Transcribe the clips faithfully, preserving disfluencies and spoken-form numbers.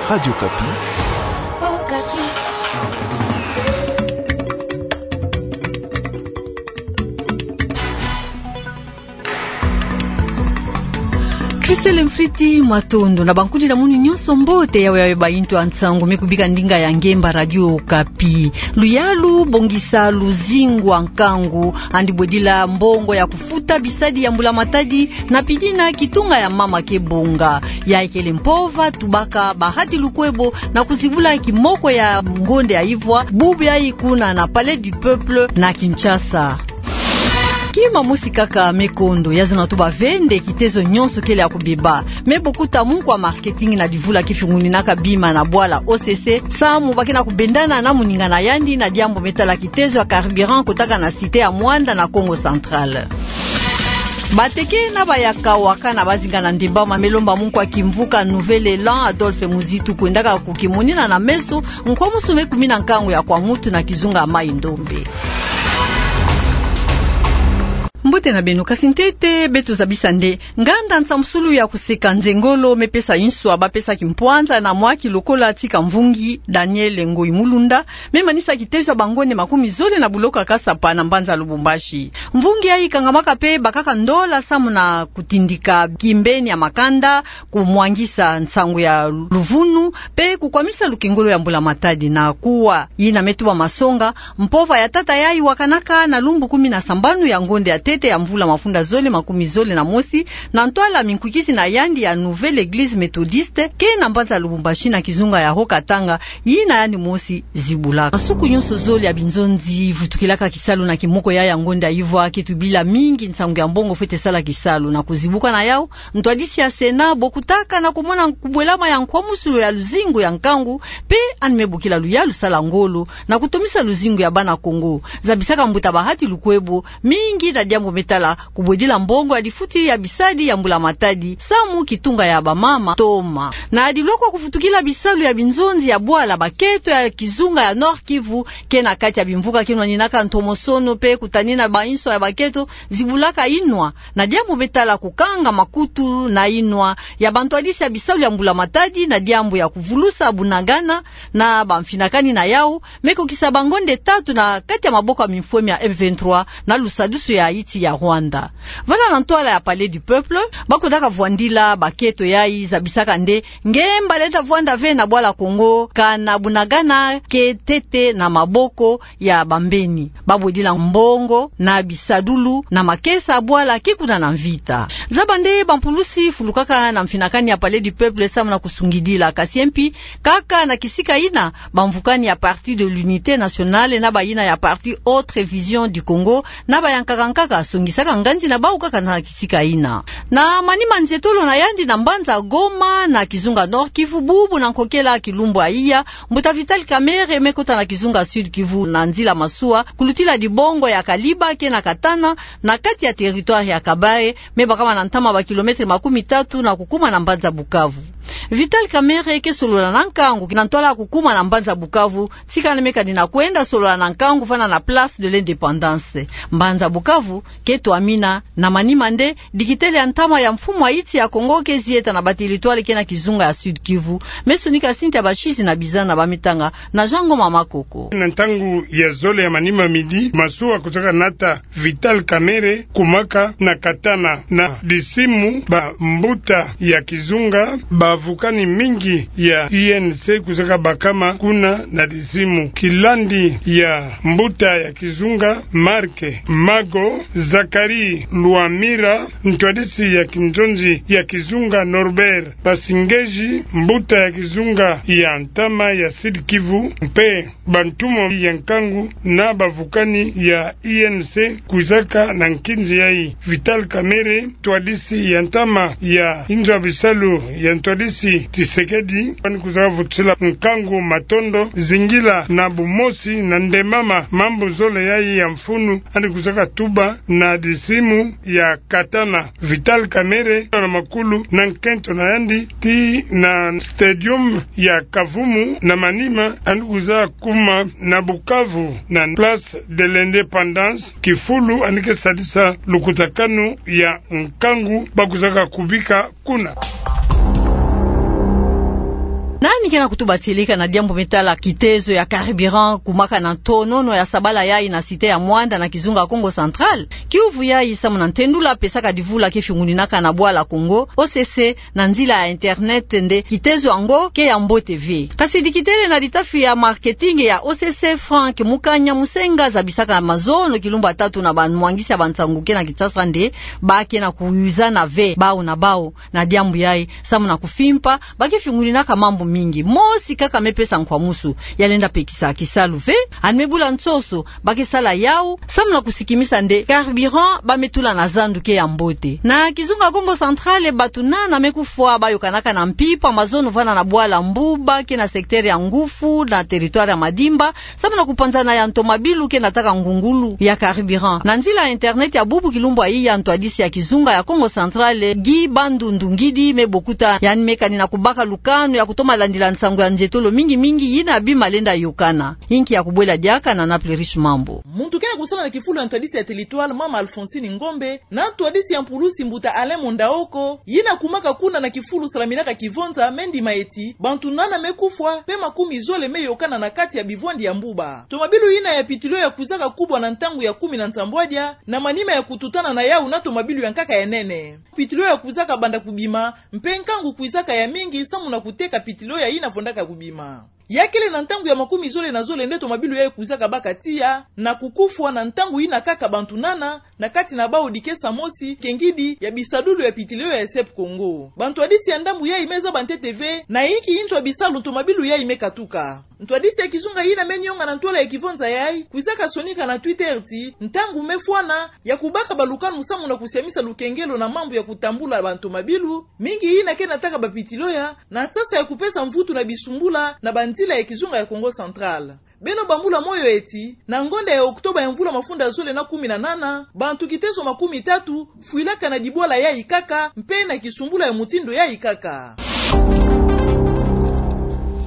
Radio Okapi. Christelle Mfriti, matondo. Na bankudila munu nyonso mbote, yawe yawe baintu ya nsangu me kubika ndinga ya ngemba Radio Okapi. Luyalu bongisa luzingu ya nkangu, yandi bwedila mbongo ya kufuta bisadi ya mbula matadi, na pidina kitunga ya mama Kebonga. Yayi kele mpova tubaka bahati lukwebo na kuzibula kimoko ya ngonde ya ivwa, bubu yayi kuna na Palais du Peuple na Kinshasa. Kima mosi kaka me kondo, ya zona tuba ve nde kitezo nyonso kele ya kubeba. Me bokuta munkwa marketing na divula kifunguninaka bima na bwala O C C, samu ba ke na kubendana na moninga na yandi na diambu me tala kitezo ya carburant kotaka na cité ya Muanda na Kongo Central. Bateke na bayaka waka na bazinga na ndembama me lomba munkwa kimvuka Nouvel Elan Adolphe Muzitu kwendaka kukimonina na meso, nkwamusu me kumina nkangu ya kwa mutu na kizunga ya Mai-Ndombe. Mbote na beno, kasi ntete beto zabisa nde nganda nsamusulu ya kuseka nzengolo me pesa inswa bapesaki mpwanza na mwaki lokola tika mvungi Daniel Ngoyi Mulunda, me manisa kitezo ya bangonde makumi zole na buloko ya Kasapa na mbanza Lubumbashi. Mvungi yayi ikangamaka pe bakaka ndola samu na kutindika kimbeni ya makanda, kumwangisa nsangu ya luvunu, pe kukwamisa lukengolo ya mbula matadi na kuwa. Yina me tuba masonga, mpova ya tata yayi wakanaka na lumbu kumi na sambanu ya ngonde ya ntete ya mvula mafunda zole makumi zole na mosi, na ntwala minkwikisi na yandi ya Nouvelle Église Méthodiste, ke na mbanza Lubumbashi na kizunga ya Haut-Katanga, yina yandi mosi zibulaka. Masuku nyonso zole ya binzonzi vutukilaka kisalu na kimoko ya ya ngonda ivwa, ke tubila mingi nsangu ya mbongo fwete sala kisalu. Na kuzibuka na yau, ntwadisi ya Sénat bokutaka na kumona kubwelama ya nkwamusulu ya luzingu ya nkangu, pe yandi me bokila luyalu sala ngolo na kutomisa luzingu ya bana Kongo. Zabisaka mbuta bahati lukwebo mingi na diambu me tala kubwedila mbongo ya difuti ya bisadi ya mbula matadi, samu kitunga ya bamama toma. Na dilokwa kuvutukila bisalu ya binzonzi ya bwala bakento ya kizunga ya Nord-Kivu, ke na kati ya bimvuka ke nwaninaka ntomosono pe kutanina bainswa ya bakento zibulaka inwa, na diambu me tala kukanga makutu na inwa ya bantwadisi ya bisalu ya mbula matadi, na diambu ya kuvulusa bunagana na bamfinakani na yau, me kukisa bangonde tatu na kati ya maboko ya mimfwemi ya M vingt-trois na lusadusu ya insi ya Rwanda. Vana na ntwala ya Palais du Peuple, bakotaka vwandila bakento yayi zabisaka nde ngemba lenda vwanda ve na bwala Kongo, kana bunagana ke ntete na maboko ya bambeni. Babwedila mbongo na bisadulu na makesa bwala ke kuna na mvita. Zaba nde bampulusi fulukaka na mfinakani ya Palais du Peuple samu na kusungidila, kasi mpi kaka na kisika ina, bamvukani ya Parti de l'Unité Nationale na bayina ya Parti Autre Vision du Congo na bayankaka nkaka songisaka nganzi na bau kaka na kisika ina. Na manima nzietolo na yandi na mbanza Goma na kizunga Nord-Kivu, bubu na nkokela kilumbu ya iya, mbuta Vital Kamerhe me kota na kizunga Sud-Kivu na nzila masuwa, kulutila dibongo ya Kaliba ke na Katana, na kati ya territoire ya Kabare, me bakama na ntama bakilometre makumi tatu na kukuma na mbanza Bukavu. Vital Kamerhe ke solola na nkangu na ntwala kukuma na mbanza Bukavu, tika yandi me kani na kwenda solola na nkangu vana na Place de l'Indépendance. Mbanza Bukavu ke twamina na manima nde dikitele ya ntama ya mfumu ya insi ya Kongo ke zieta na bateritware ke na kizunga ya Sud-Kivu. Me sonika Cynthia Bashizi na bizana ba mitanga na Jean Ngoma Makoko. Na ntangu ya zole ya manima midi, masuwa kuzaka nata Vital Kamerhe kumaka na Katana na disimu bambuta ya kizunga, bavukani mingi ya U N C kuzaka bakama kuna na disimu. Kilandi ya mbuta ya kizunga Marc Mago, Zacharie Lwamira, ntwadisi ya kinzonzi ya kizunga Norbert Basingeji, mbuta ya kizunga ya ntama ya Sud-Kivu, mpe bantumo ya nkangu na bavukani ya U N C kuzaka na nkinzi yayi. Vital Kamerhe, ntwadisi ya ntama ya inzo ya bisalu ya ntwadisi Tshisekedi, yandi kuzaka vutusila nkangu matondo, zingila na bumosi na ndembama mambu zole yayi ya mfunu yandi kuzaka tuba na disimu ya Katana. Vital Kamerhe na makulu na nkento na yandi tii na stadium ya Kavumu, na manima yandi kuzaka kuma na Bukavu na Place de l'Indépendance, kifulu yandi ke sadisa lukutakanu ya nkangu ba kuzaka kubika kuna. Nani Ke na kutuba tieleka na diambu me tala kitezo ya carburant kumaka na ntonono ya sabala yayi na cité ya Muanda na kizunga Kongo Central. Kiuvu yayi samu na ntendula pesaka divula ke fiunguninaka na bwala Congo, O C C, na nzila ya internet nde kitezo yango ke ya mbote ve. Kasi dikitele na litafi ya marketing ya O C C, Franck Mukanya Musenga, zabisaka mazono kilumbu ya tatu na bamwangisi ya bansangu ke na Kinshasa nde ba ke na kuwizana ve bawu na bawu na diambu yayi, samu na kufimpa, ba ke fiunguninaka mambu mingi. Mosi kaka me pesa nkwamusu, ya lenda pekisa kisalu ve, yandi me bula nsoso, ba ke sala yawu samu na kusikimisa nde carburant ba me tula na zandu ke ya mbote. Na kizunga Kongo Central, bato nana me kufwa ba yokanaka na mpimpa mazono vana na bwala Mbuba ke na secteur ya Ngufu na territoire ya Madimba, samu na kupanzana ya ntomabilu ke nataka ngungulu ya carburant. Na nzila ya internet ya bubu kilumbu yayi, ntwadisi ya kizunga ya Kongo Central, Guy Bandundu Ngidi, me bokuta yandi me kani na kubaka lukanu ya kutoma landila nsangu ya nzietolo mingi mingi yina bima lenda yokana. Inki ya kubwela diaka na Naples Riche Mambu. Muntu ke na kusala na kifulu ya ntwadisi ya territoire, mama Alphonsine Ngombe, na ntwadisi ya mpulusi mbuta Alain Mondaoko, yina kumaka kuna na kifulu salaminaka kivonza, me ndima eti bantu nana me kufwa, pe makumi zole me yokana na kati ya bivwandi ya Mbuba. Tomabilu yina ya pitilo ya kwizaka kubwa na ntangu ya kumi na nsambwadia, na manima ya kututana na yawu na tomabilu ya nkaka ya nene. Pitilo ya kwizaka banda kubima, mpe nkangu kwizaka ya mingi samu na kuteka pitilo ya yina fondaka kubima. Ya kele na ntangu ya makumi zole na zole nde tomabilu yayi kwizaka baka tiya, na kukufwa na ntangu yina kaka bantu nana, na kati na bawu dikesa mosi, kengidi ya bisalulu ya pitilo ya S E P Congo. Bantwadisi ya ndambu yayi me zaba ntete ve na inki nzo ya bisalu tomabilu yayi me katuka. Ntwadisi ya kizunga yina me nionga na ntwala ya kivonza yayi kwizaka sonika na Twitter ti ntangu me fwana ya kubaka balukanu samu na kusiamisa lukengelo na mambu ya kutambula bantomabilu, mingi yina ke nataka bapitilo ya na sasa ya kupesa mvutu na bisumbula na banzila ya kizunga ya Kongo Central. Beno bambula moyo eti, na ngonda ya Oktoba ya mvula mafunda zole na kumi na nana, bantu kitezo makumi tatu fwilaka na dibwala yayi kaka, mpe na kisumbula ya mutindu yayi kaka.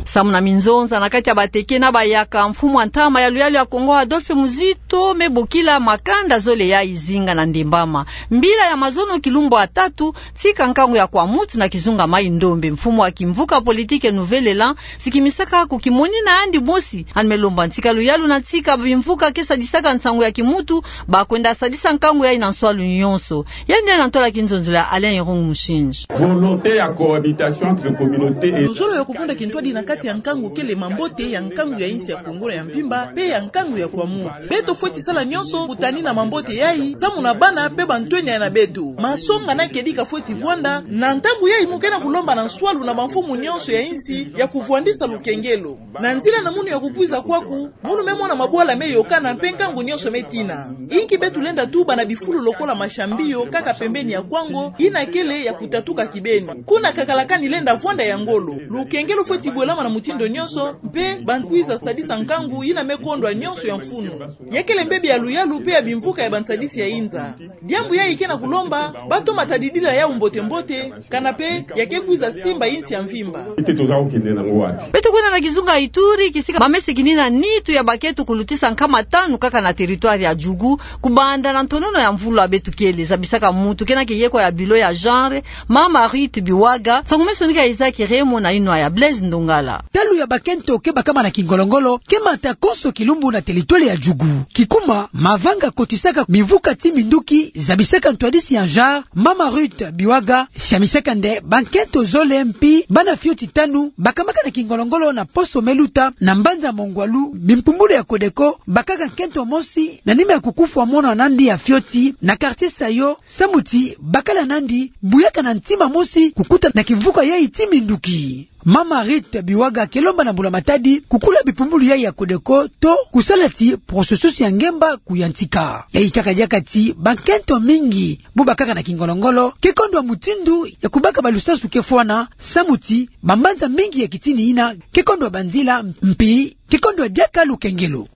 Samu na minzonza na kati ya bateke na bayaka, mfumu ya ntama ya luyalu ya Kongo Adolphe Muzito me bokila makanda zole yayi zinga na ndembama. Mbila ya mazono kilumbu ya tatu, tika nkangu ya kwa mutu na kizunga Mai-Ndombe, mfumu ya kimvuka politique Nouvel Elan sikimisaka ko kimoni na yandi mosi, yandi me lomba ntika luyalu na ntika bimvuka ke sadisaka nsangu ya kimutu, ba kwenda sadisa nkangu yayi na nswalu nyonso. Yandi na ntwala kinzonzolo ya Alain Irung Mushinji. Volonté ya cohabitation entre communautés et... Luzolo ya kuvunda kintwadi na kati ya nkangu kele mambote ya nkangu ya insi ya Kongo ya mvimba, pe ya nkangu ya kwa mutu. Beto fweti sala nyonso kutanina mambote yayi, samu na bana pe bantwenia na beto. Masonga na kedika fweti vwanda, na ntangu yayi mu ke na kulomba na nswalu na bamfumu nyonso ya insi ya kuvwandisa lukengelo. Na nzila na munu ya kukwiza kwaku, munu me mona mabwala me yokana mpe nkangu nyonso me tina. Inki beto lenda tuba na bifulu lokola Mashambio, kaka pembeni ya Kwango, yina kele ya kutatuka kibeni. Kuna kakalakani lenda vwanda ya ngolo. Lukengelo fweti bwelama na mutindu nyonso, mpe ba kwiza sadisa nkangu yina me kondwa nyonso ya mfunu. Ya kele mbebi ya luyalu pe ya bimvuka ya bansadisi ya inza. Diambu yayi ke na kulomba ba toma tadidila yawu mbote-mbote, kana pe ya ke kwiza simba insi ya mvimba. Ete toza kokende nango wapi? Beto kwenda na kizunga Ituri, kisika ba me sikinina nitu ya bakento kulutisa nkama tanu kaka na territoire ya Djugu, kubanda na ntonono ya mvula beto kele. Zabisaka mutu ke na kiyeko ya bilan ya genre, mama Ruth Biwaga, nsangu me sonika Isaac Remo na inwa ya Blaise Ndongala. Talu ya bakento ke bakama na kingolo-ngolo ke mata konso kilumbu na territoire ya Djugu. Kikuma, mavanga kotisaka bimvuka ti minduki, zabisaka ntwadisi ya genre, mama Ruth Biwaga, siamisaka nde bakento zole mpi bana fioti tanu bakamaka na kingolo-ngolo na poso me luta na mbanza Mongwalu, bimpumbulu ya Codeco bakaka nkento mosi na nima ya kukufwa mwana nandi ya fioti na quartier Sayo, samu ti bakala nandi buyaka na ntima mosi kukuta na kimvuka yayi ti minduki. Mama Ruth Biwaga ke lomba na mbula-matadi kukula bipumbulu yayi ya Codeco to kusala ti processus ya ngemba kuyantika. Yayi kaka diaka ti bakento mingi bu bakaka na kingolo-ngolo ke kondwa mutindu ya kubaka balusansu ke fwana, samu ti bambanza mingi ya kitini yina ke kondwa banzila mpi ke kondwa diaka lukengelo.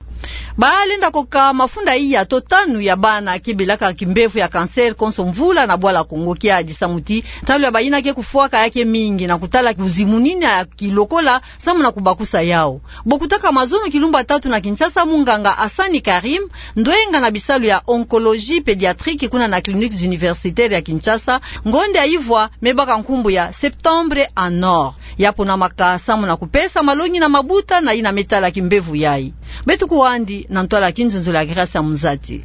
Balenda koka mafunda iya to tanu ya bana ke belaka kimbevo ya cancer konso mvula na bwala Kongo. Kiadi samu ti ntalu ya bayina ke kufwaka ya ke mingi na kutala kizimunina ya kilokola samu na kubakusa yau. Bo kutaka mazono kilumbu tatu na Kinshasa, munganga Hassani Karim, ndwenga na bisalu ya oncologie pédiatrique kuna na Cliniques Universitaires ya Kinshasa, ngonde ya ivwa me baka nkumbu ya Septembre en Or. Ya ponamaka samu na kupesa malongi na mabuta na yina me tala kimbevo yayi. Beto kuwandi na ntwala ya kinzonzolo ya Grace ya Muzati.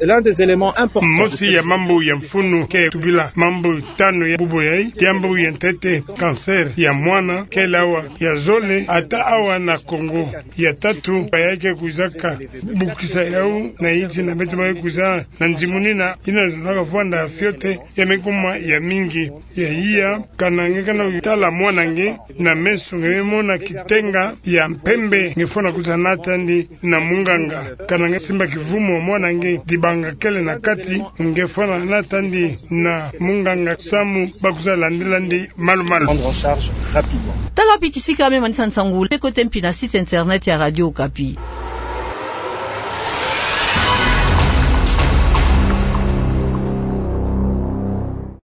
Mosi ya mambu ya mfunu ke tubila mambu tanu ya bubu yayi, diambu ya ntete, cancer ya mwana, kele awa ya zole, ata awa na Kongo. Ya tatu, ba ya ke kwizaka bukisa yau na insi na beto ba ke kwiza na nzimunina, yina zonaka vwanda fiote, ya me kuma ya mingi. Ya iya, kana nge kana tala mwana nge na meso, nge me mona kitenga ya mpembe, nge fwana kwiza na tandi na munganga. Kana nge simba kivumu ya mwana nge, dibanga kele na kati, nge fwana na tandi na munganga samu ba kwiza landila ndi malu-malu. Prendre en charge rapidement. Tala pi kisika me manisa nsangu, le kote mpi na site internet ya Radio Okapi.